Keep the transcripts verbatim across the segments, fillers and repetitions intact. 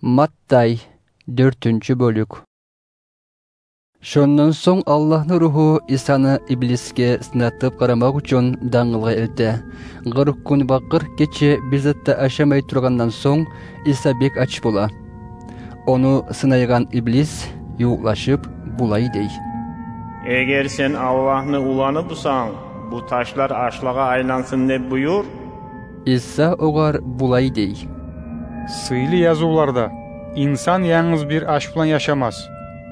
Маттай, дёртюнчю бёлюк. Шондан сонг Аллагьны Ругьу Исаны Иблисге сынатып къарамакъ учун дангылгъа элте. Къыркъ гюн ва къыркъ гече бир зат да ашамай тургъандан сонг, Иса бек ач бола. Ону сынайгъан Иблис ювукълашып, булай дей: «Эгер сен Аллагьны уланы бусанг, бу ташлар ашлагъа айлансын деп буюр». Иса огъар булай дей: «Сыйлы язывларда: „Инсан янгыз бир аш булан яшамас,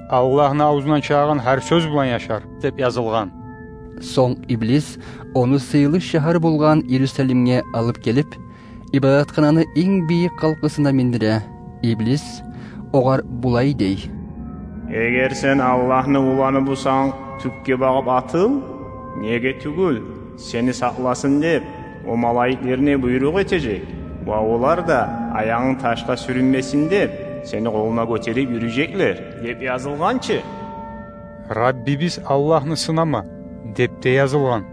Аллагьны авзундан чыгъагъан гьар сёз булан яшар“, – деп язылгъан». Сонг Иблис ону сыйлы шагьар болгъан Иерусалимге алып гелип, ибадатхананы инг бийик къалкъысына миндире. Иблис огъар булай дей: «Эгер сен Аллагьны уланы бусанг, тюпге багъып атыл. Неге тюгюл, сени сакъласын деп, о малайиклерине буйрукъ этежек, ва олар да, аягъынг ташгъа сюрюнмесин деп, сени къолуна гётерип юрюжеклер деп язылгъан чы». «Раббибиз Аллагьны сынама деп де язылгъан»,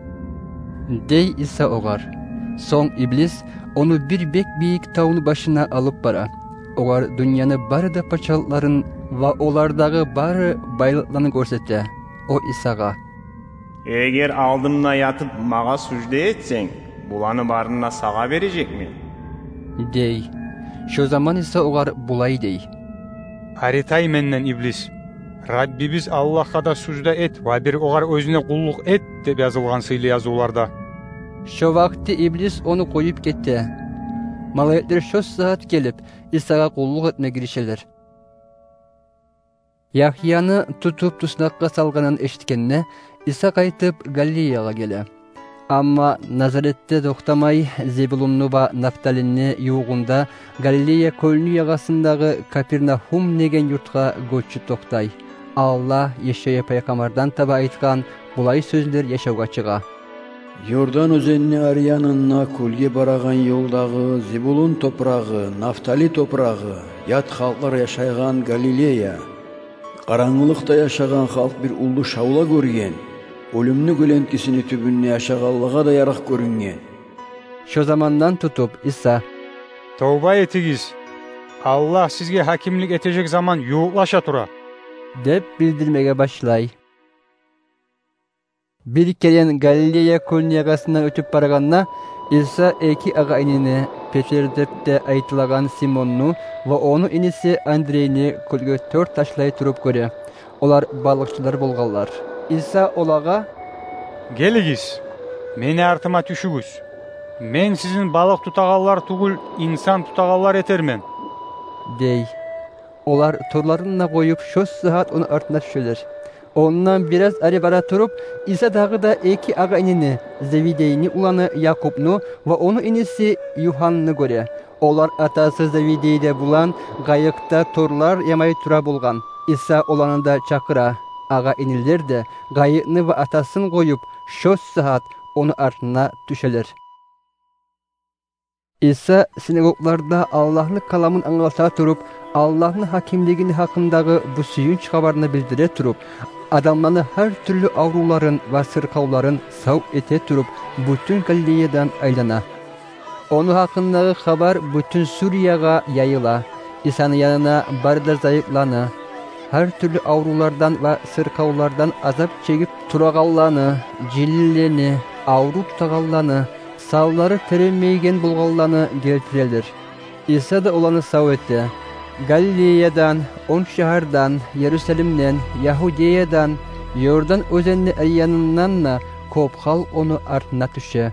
– дей Иса огъар. Сонг Иблис ону бир бек бийик тавну башына алып бара. Огъар дюньяны бары да пачалыкъларын ва олардагъы бары байлыкъланы гёрсете. О Исагъа: «Эгер алдымда ятып магъа сужда этсенг, буланы барын да сагъа бережекмен», – дей. Шо заман Иса огъар булай дей: «Ари тай менден, Иблис! Раббибиз Аллагьгъа да сужда эт ва бир огъар оьзюне къуллукъ эт деп язылгъан сыйлы язывларда». Шо вакъти Иблис ону къоюп гете. Малайиклер шо сагьат гелип, Исагъа къуллукъ этме гиришелер. Ягьяны тутуп туснакъгъа салгъанын эшитгенде, Иса къайтып Галилеягъа геле. Амма Назаретде токътамай, Зебулунну ва Нафталини ювугъунда, Галилея кёлню ягъасындагъы Капернагьум деген юртгъа гёчюп токътай. Алда Ешайя пайхаммардан таба айтгъан булай сёзлер яшавгъа чыгъа: «Иордан оьзенни ари янында кёлге барагъан ёлдагъы, Зебулун топурагъы, Нафтали топурагъы, ят халкълар яшайгъан Галилея. Къарангылыкъда яшагъан халкъ бир уллу шавла гёрген, оьлюмню гёленкесини тюбюнде яшагъанлагъа да ярыкъ гёрюнген». Шо замандан тутуп Иса: «Товба этигиз, Аллагь сизге гьакимлик этежек заман ювукълаша тура», – деп билдирмеге башлай. Бир керен Галилея кёлню ягъасындан оьтюп барагъанда, Иса эки агъа-инини, Петр деп де айтылагъан Симонну ва ону иниси Андрейни кёлге тёрт ташлай туруп гёре. Олар балыкъчылар болгъанлар. Иса олагъа: «Гелигиз, мени артыма тюшюгюз. Мен сизин балыкъ тутагъанлар тюгюл, инсан тутагъанлар этермен», – дей. Олар торларын да къоюп, шо сагьат ону артына тюшелер. Ондан бираз ари бара туруп, Иса дагъы да эки агъа-инини, Зеведейни уланы Якъубну ва ону иниси Югьанны гёре. Олар атасы Зеведей де булан къайыкъда торлар ямай тура болгъан. Иса оланы да чакъыра. Агъа-инилер де къайыкъны ва атасын къоюп, шо сагьат ону артына тюшелер. Иса синагогларда Аллагьны каламын англата туруп, Аллагьны гьакимлигини гьакъындагъы бу сююнч хабарны билдире туруп, адамланы гьар тюрлю аврувларын ва сыркъавларын сав эте туруп, бютюн Галилеядан айлана. Ону гьакъындагъы хабар бютюн Суриягъа яйыла. Исаны янына бары да зайыпланы, гьар тюрлю аврувлардан ва сыркъавлардан азап чегип турагъанланы, жинлени, аврув тутагъанланы, санлары терилмейген болгъанланы гелтирелер. Иса да оланы сав эте. Галилеядан, он шагьардан, Иерусалимден, Ягьудеядан, Иордан оьзенни ари янындан да кёп халкъ ону артына тюше.